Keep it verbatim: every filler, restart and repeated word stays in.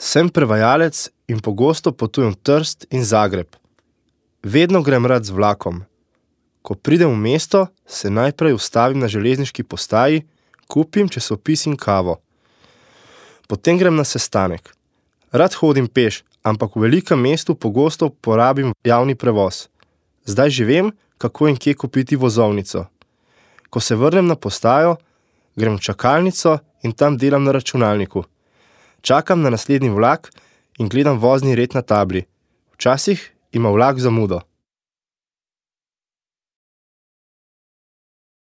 Sem prevajalec in pogosto potujem v Trst in Zagreb. Vedno grem rad z vlakom. Ko pridem v mesto, se najprej ustavim na železniški postaji, kupim časopis in kavo. Potem grem na sestanek. Rad hodim peš, ampak v velikem mestu pogosto porabim javni prevoz. Zdaj že vem, kako in kje kupiti vozovnico. Ko se vrnem na postajo, grem v čakalnico in tam delam na računalniku. Čakam na naslednji vlak in gledam vozni red na tabli. Včasih ima vlak zamudo.